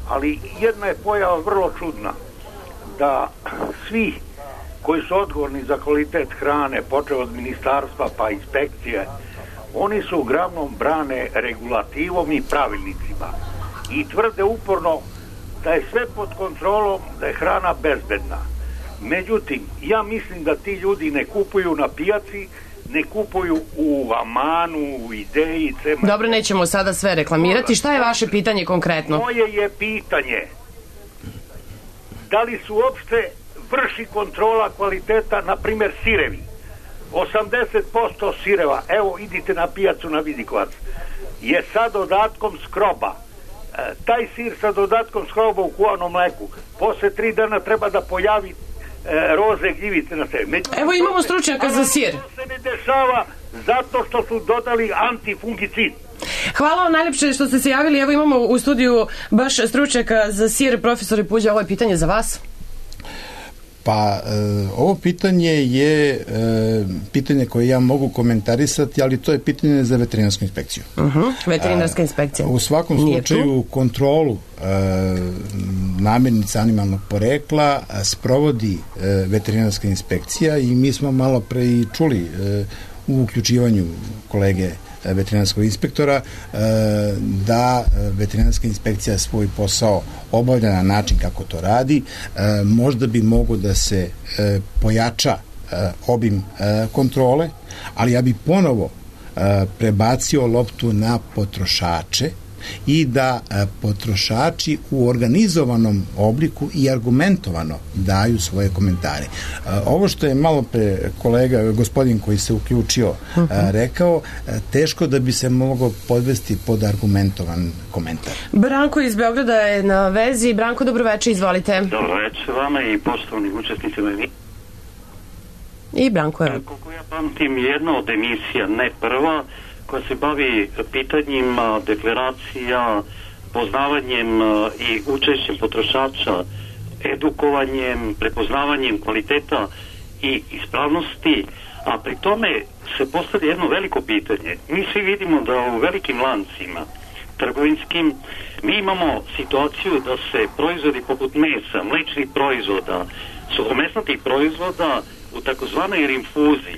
Speaker 14: ali jedna je pojava vrlo čudna, da svi koji su odgovorni za kvalitet hrane, počeo od ministarstva pa inspekcije, oni su uglavnom brane regulativom i pravilnicima i tvrde uporno da je sve pod kontrolom, da je hrana bezbedna. Međutim, ja mislim da ti ljudi ne kupuju na pijaci, ne kupuju u Amanu, u Ideji,
Speaker 3: Dobro, nećemo sada sve reklamirati. Šta je vaše pitanje konkretno?
Speaker 14: Moje je pitanje, da li su uopšte vrši kontrola kvaliteta, na primjer sirevi? 80% sireva, evo idite na pijacu na Vidikovac, je sa dodatkom skroba. Taj sir sa dodatkom skroba u kuvanom mleku posle 3 dana treba da pojavi roze gljivice na sebi.
Speaker 3: Evo imamo stručnjaka za sir.
Speaker 14: To se ne dešava zato što su dodali antifungicid.
Speaker 3: Hvala vam najljepše što ste se javili. Evo imamo u studiju baš stručnjaka za sir, profesor Puđa, ovo je pitanje za vas.
Speaker 4: Pa, ovo pitanje je pitanje koje ja mogu komentarisati, ali to je pitanje za veterinarsku inspekciju.
Speaker 3: Veterinarska inspekcija.
Speaker 4: U svakom slučaju kontrolu namirnica animalnog porekla sprovodi veterinarska inspekcija i mi smo malo pre i čuli u uključivanju kolege veterinarskog inspektora da veterinarska inspekcija svoj posao obavlja na način kako to radi. Možda bi mogo da se pojača obim kontrole, ali ja bi ponovo prebacio loptu na potrošače i da potrošači u organizovanom obliku i argumentovano daju svoje komentare. Ovo što je malo pre kolega, gospodin koji se uključio, rekao, teško da bi se moglo podvesti pod argumentovan komentar.
Speaker 3: Branko iz Beograda je na vezi. Branko, dobroveče, izvolite.
Speaker 15: Dobroveče vama i poštovanim učesnicima.
Speaker 3: I Branko je...
Speaker 15: Koliko ja pamtim, jedna od emisija, ne prva, koja se bavi pitanjima, deklaracija, poznavanjem i učešćem potrošača, edukovanjem, prepoznavanjem kvaliteta i ispravnosti, a pri tome se postavlja jedno veliko pitanje. Mi svi vidimo da u velikim lancima trgovinskim mi imamo situaciju da se proizvodi poput mesa, mlečnih proizvoda, suhomesnatih proizvoda u takozvanoj rinfuzi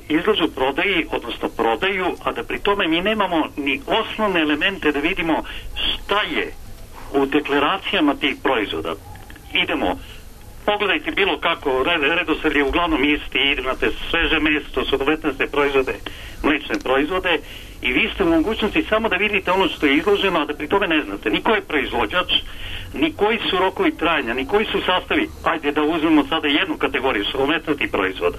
Speaker 15: izlažu prodaji, odnosno prodaju, a da pri tome mi nemamo ni osnovne elemente da vidimo šta je u deklaracijama tih proizvoda. Idemo, pogledajte bilo kako, redosled je uglavnom isti, imate sveže meso, suhomesnate proizvode, mlečne proizvode i vi ste u mogućnosti samo da vidite ono što je izloženo, a da pri tome ne znate ni ko je proizvođač, ni koji su rokovi trajanja, ni koji su sastavi. Ajde da uzmemo sada jednu kategoriju suhomesnatih proizvoda.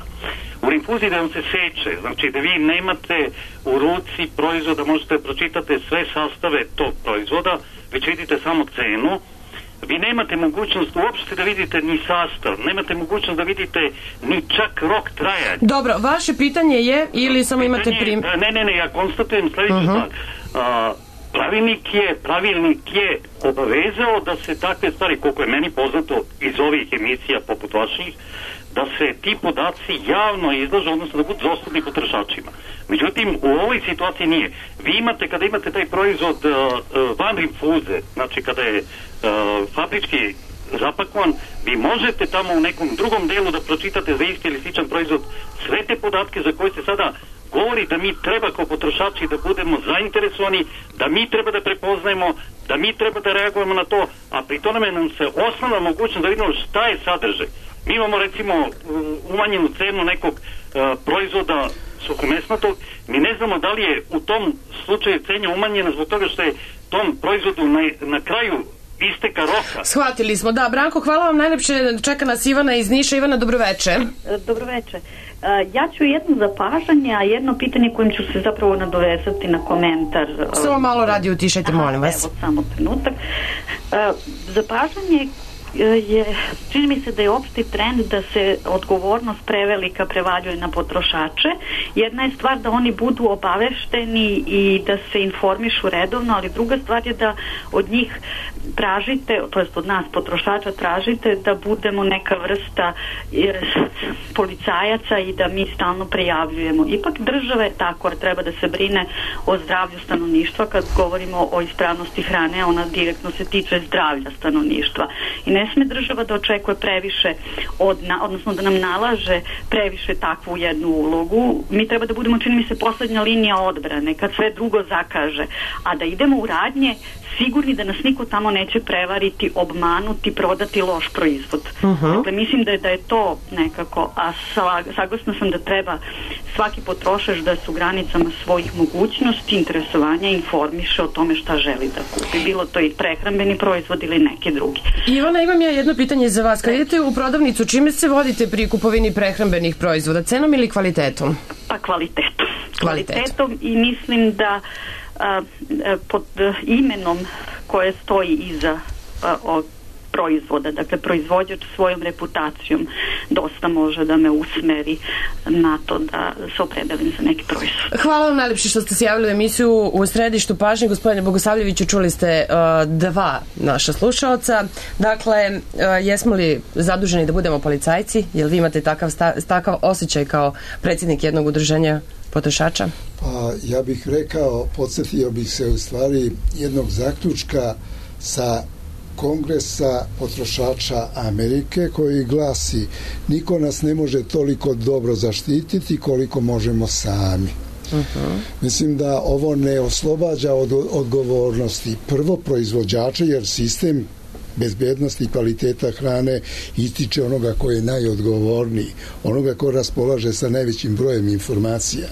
Speaker 15: U rinfuziji da vam se seče, znači da vi nemate u ruci proizvoda, možete da pročitate sve sastave tog proizvoda, već vidite samo cenu. Vi nemate mogućnost uopšte da vidite ni sastav, nemate mogućnost da vidite ni čak rok trajanja.
Speaker 3: Dobro, vaše pitanje je, ili samo imate
Speaker 15: Ne, ja konstatujem sledeću stvar. Pravilnik je obavezao da se takve stvari, koliko je meni poznato iz ovih emisija poput vaših, da se ti podaci javno izlažu, odnosno da budu dostupni potrošačima. Međutim, u ovoj situaciji nije. Vi imate, kada imate taj proizvod van rinfuze, znači kada je fabrički zapakovan, vi možete tamo u nekom drugom delu da pročitate za isti ili sličan proizvod sve te podatke za koje se sada govori da mi treba kao potrošači da budemo zainteresovani, da mi treba da prepoznajemo, da mi treba da reagujemo na to, a pri tome nam se osnovna mogućnost da vidimo šta je sadržaj. Mi imamo recimo umanjenu cenu nekog proizvoda suhomesnatog, mi ne znamo da li je u tom slučaju cena umanjena zbog toga što je tom proizvodu na kraju isteka roka.
Speaker 3: Shvatili smo, da. Branko, hvala vam najlepše. Čeka nas Ivana iz Niša. Ivana, dobroveče.
Speaker 16: Dobroveče. Ja ću jedno zapažanje, a jedno pitanje kojim ću se zapravo nadovezati na komentar.
Speaker 3: Samo malo radio utišajte, molim vas.
Speaker 16: Evo, samo trenutak. Zapažanje je, čini mi se da je opšti trend da se odgovornost prevelika prevaljuje na potrošače. Jedna je stvar da oni budu obavešteni i da se informišu redovno, ali druga stvar je da od njih tražite, to jest od nas potrošača tražite da budemo neka vrsta policajaca i da mi stalno prijavljujemo. Ipak država je tako, treba da se brine o zdravlju stanovništva. Kad govorimo o ispravnosti hrane, ona direktno se tiče zdravlja stanovništva. I ne sme država da očekuje previše odnosno da nam nalaže previše takvu jednu ulogu. Mi treba da budemo, čini mi se, poslednja linija odbrane kad sve drugo zakaže, a da idemo u radnje sigurni da nas niko tamo neće prevariti, obmanuti, prodati loš proizvod. Dakle, mislim da je to nekako, a saglasna sam da treba svaki potrošač da se u granicama svojih mogućnosti, interesovanja informiše o tome šta želi da kupi. Bilo to i prehrambeni proizvod ili neki drugi.
Speaker 3: Ivana, imam ja jedno pitanje za vas. Kad idete u prodavnicu, čime se vodite pri kupovini prehrambenih proizvoda? Cenom ili kvalitetom?
Speaker 16: Pa kvalitetom i mislim da pod imenom koje stoji iza proizvoda, dakle proizvođač svojom reputacijom dosta može da me usmeri na to da se opredelim za neki proizvod.
Speaker 3: Hvala vam najlepše što ste se javili u emisiju u središtu pažnje. Gospodine Bogosavljeviću, čuli ste dva naša slušaoca. Dakle, jesmo li zaduženi da budemo policajci? Jel vi imate takav osjećaj kao predsjednik jednog udruženja potrošača?
Speaker 6: Pa ja bih rekao, podsjetio bih se u stvari jednog zaključka sa Kongresa potrošača Amerike koji glasi: niko nas ne može toliko dobro zaštititi koliko možemo sami. Mislim da ovo ne oslobađa od odgovornosti prvo proizvođača, jer sistem bezbednosti i kvaliteta hrane ističe onoga ko je najodgovorniji, onoga ko raspolaže sa najvećim brojem informacija.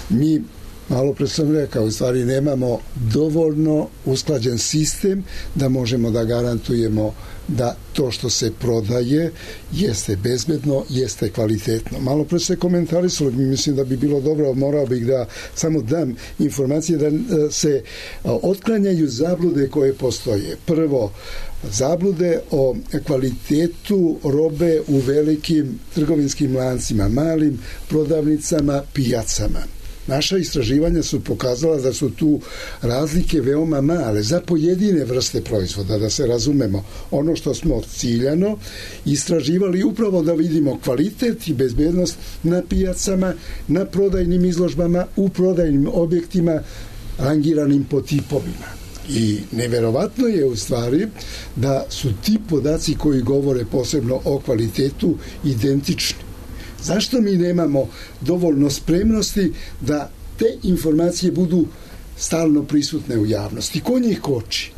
Speaker 6: Mi Malo pre sam rekao, u stvari nemamo dovoljno usklađen sistem da možemo da garantujemo da to što se prodaje jeste bezbedno, jeste kvalitetno. Malo pre se komentarisalo, mislim da bi bilo dobro, morao bih da samo dam informacije da se otklanjaju zablude koje postoje. Prvo, zablude o kvalitetu robe u velikim trgovinskim lancima, malim prodavnicama, pijacama. Naša istraživanja su pokazala da su tu razlike veoma male za pojedine vrste proizvoda, da se razumemo. Ono što smo ciljano istraživali upravo da vidimo kvalitet i bezbednost na pijacama, na prodajnim izložbama, u prodajnim objektima rangiranim po tipovima. I neverovatno je u stvari da su ti podaci koji govore posebno o kvalitetu identični. Zašto mi nemamo dovoljno spremnosti da te informacije budu stalno prisutne u javnosti? Ko njih koči?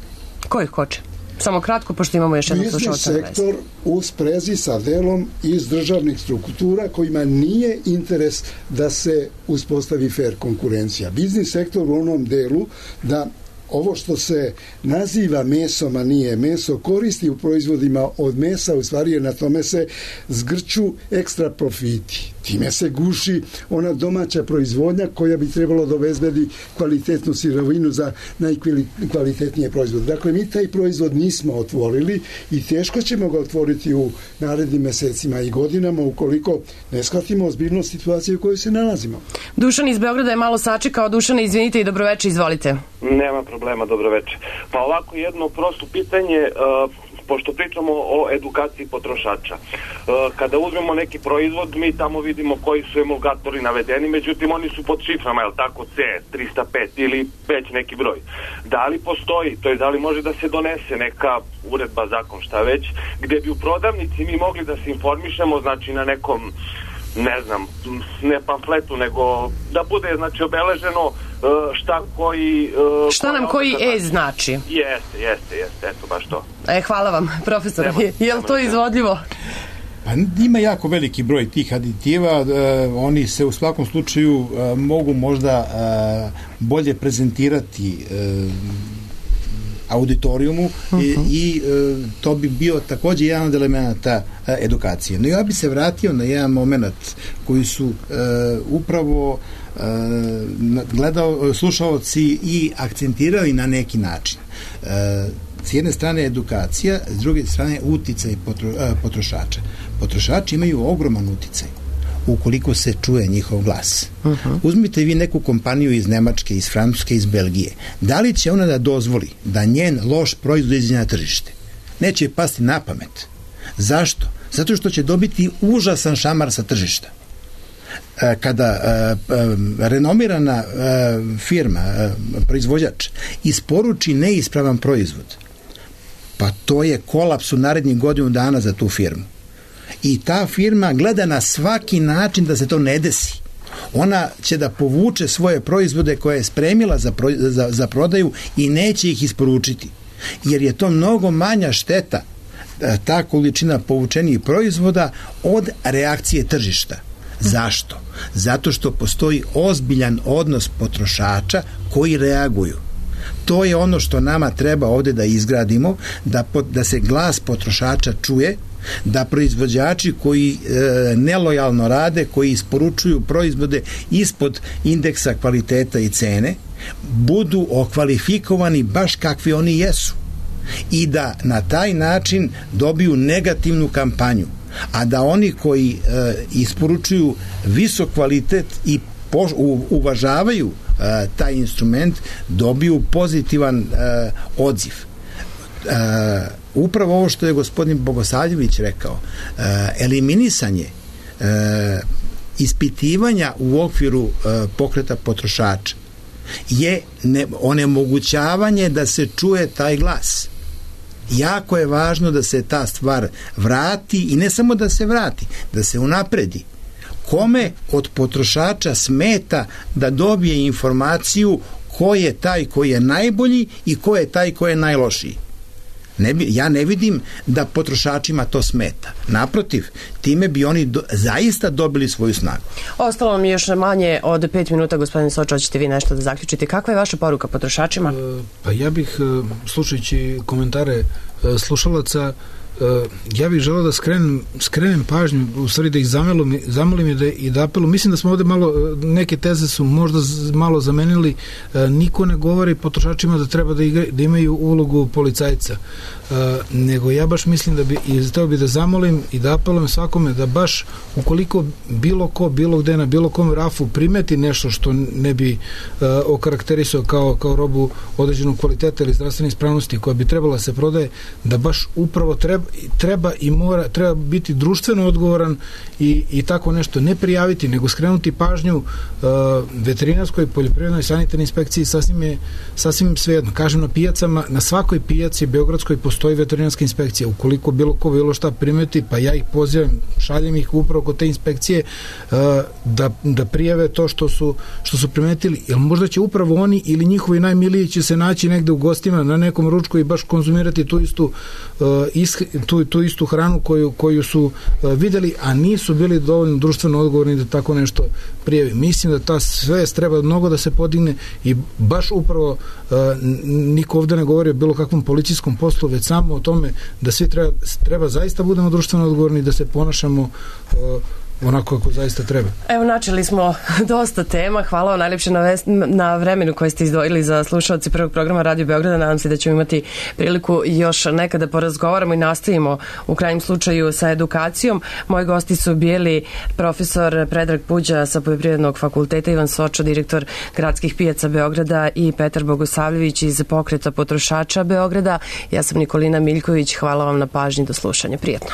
Speaker 3: Ko ih koči? Samo kratko, pošto imamo još jednu slušalca.
Speaker 6: Biznis sektor u sprezi sa delom iz državnih struktura kojima nije interes da se uspostavi fair konkurencija. Biznis sektor u onom delu da ovo što se naziva mesom, a nije meso, koristi u proizvodima od mesa, u stvari je na tome se zgrću ekstra profiti. Time se guši ona domaća proizvodnja koja bi trebalo da obezbedi kvalitetnu sirovinu za najkvalitetnije proizvode. Dakle, mi taj proizvod nismo otvorili i teško ćemo ga otvoriti u narednim mesecima i godinama ukoliko ne shvatimo ozbiljnost situacije u kojoj se nalazimo.
Speaker 3: Dušan iz Beograda je malo sačekao. Dušane, izvinite i dobroveče, izvolite.
Speaker 17: Nema problema, dobroveče. Pa ovako jedno prosto pitanje, pošto pričamo o edukaciji potrošača. Kada uzmemo neki proizvod, mi tamo vidimo koji su emulgatori navedeni, međutim oni su pod šiframa, jel tako, C305 ili već neki broj. Da li postoji, to je da li može da se donese neka uredba, zakon, šta već, gde bi u prodavnici mi mogli da se informišemo, znači na nekom, ne znam, ne pamfletu, nego da bude, znači, obeleženo šta koji...
Speaker 3: Šta nam koji znači?
Speaker 17: Jeste, eto baš to.
Speaker 3: Hvala vam, profesor. Je li to izvodljivo?
Speaker 4: Pa ima jako veliki broj tih aditiva, oni se u svakom slučaju mogu možda bolje prezentirati auditorijumu i to bi bio takođe jedan od elementa edukacije. No ja bi se vratio na jedan moment koji su upravo slušaoci i akcentirali na neki način. S jedne strane edukacija, s druge strane uticaj potrošača. Potrošači imaju ogroman uticaj ukoliko se čuje njihov glas. Uzmite vi neku kompaniju iz Nemačke, iz Francuske, iz Belgije. Da li će ona da dozvoli da njen loš proizvod izađe na tržište? Neće pasti na pamet. Zašto? Zato što će dobiti užasan šamar sa tržišta. Kada renomirana firma, proizvođač, isporuči neispravan proizvod, pa to je kolaps u narednih godinu dana za tu firmu. I ta firma gleda na svaki način da se to ne desi. Ona će da povuče svoje proizvode koje je spremila za prodaju i neće ih isporučiti. Jer je to mnogo manja šteta, ta količina povučenih proizvoda, od reakcije tržišta. Zašto? Zato što postoji ozbiljan odnos potrošača koji reaguju. To je ono što nama treba ovde da izgradimo, da se glas potrošača čuje, da proizvođači koji nelojalno rade, koji isporučuju proizvode ispod indeksa kvaliteta i cene, budu okvalifikovani baš kakvi oni jesu i da na taj način dobiju negativnu kampanju, a da oni koji isporučuju visok kvalitet i uvažavaju taj instrument dobiju pozitivan odziv. Upravo ovo što je gospodin Bogosavljević rekao, eliminisanje ispitivanja u okviru pokreta potrošača je onemogućavanje da se čuje taj glas. Jako je važno da se ta stvar vrati i ne samo da se vrati, da se unapredi. Kome od potrošača smeta da dobije informaciju ko je taj koji je najbolji i ko je taj koji je najlošiji? Ja ne vidim da potrošačima to smeta. Naprotiv, time bi oni zaista dobili svoju snagu.
Speaker 3: Ostalo mi još manje od 5 minuta, gospodine Sočo, hoćete vi nešto da zaključite. Kakva je vaša poruka potrošačima?
Speaker 5: Pa ja bih, slušajući komentare slušalaca, ja bih želeo da skrenem pažnju, u stvari da ih zamolim i da apelu. Mislim da smo ovde malo, neke teze su možda malo zamenili. Niko ne govori potrošačima da treba da imaju ulogu policajca, nego ja baš mislim da bi, i zato bi da zamolim i da apelujem svakome da baš ukoliko bilo ko, bilo gde, na bilo kom rafu primeti nešto što ne bi okarakterisao kao robu određenog kvaliteta ili zdravstvene ispravnosti koja bi trebala se prodaje, da baš upravo treba biti društveno odgovoran i tako nešto ne prijaviti, nego skrenuti pažnju veterinarskoj, poljoprivrednoj, sanitarnoj inspekciji, sasvim svejedno. Kažem, na pijacama, na svakoj pijaci beogradskoj postoji veterinarska inspekcija. Ukoliko bilo šta primeti, pa ja ih pozivam, šaljem ih upravo kod te inspekcije da prijave to što su primetili, jer možda će upravo oni ili njihovi najmiliji će se naći negde u gostima na nekom ručku i baš konzumirati tu istu hranu koju su videli, a nisu bili dovoljno društveno odgovorni da tako nešto prijavi. Mislim da ta svest treba mnogo da se podigne i baš upravo niko ovde ne govori o bilo kakvom policijskom poslu, već samo o tome da svi treba zaista budemo društveno odgovorni, da se ponašamo onako kako zaista treba.
Speaker 3: Evo, načeli smo dosta tema. Hvala vam najljepše na vremenu koje ste izdvojili za slušalci prvog programa Radio Beograda. Nadam se da ćemo imati priliku još nekada porazgovaramo i nastavimo u krajnjem slučaju sa edukacijom. Moji gosti su bili profesor Predrag Puđa sa Poljoprivrednog fakulteta, Ivan Sočo, direktor gradskih pijaca Beograda, i Petar Bogosavljević iz Pokreta potrošača Beograda. Ja sam Nikolina Miljković. Hvala vam na pažnji, do slušanja. Prijetno.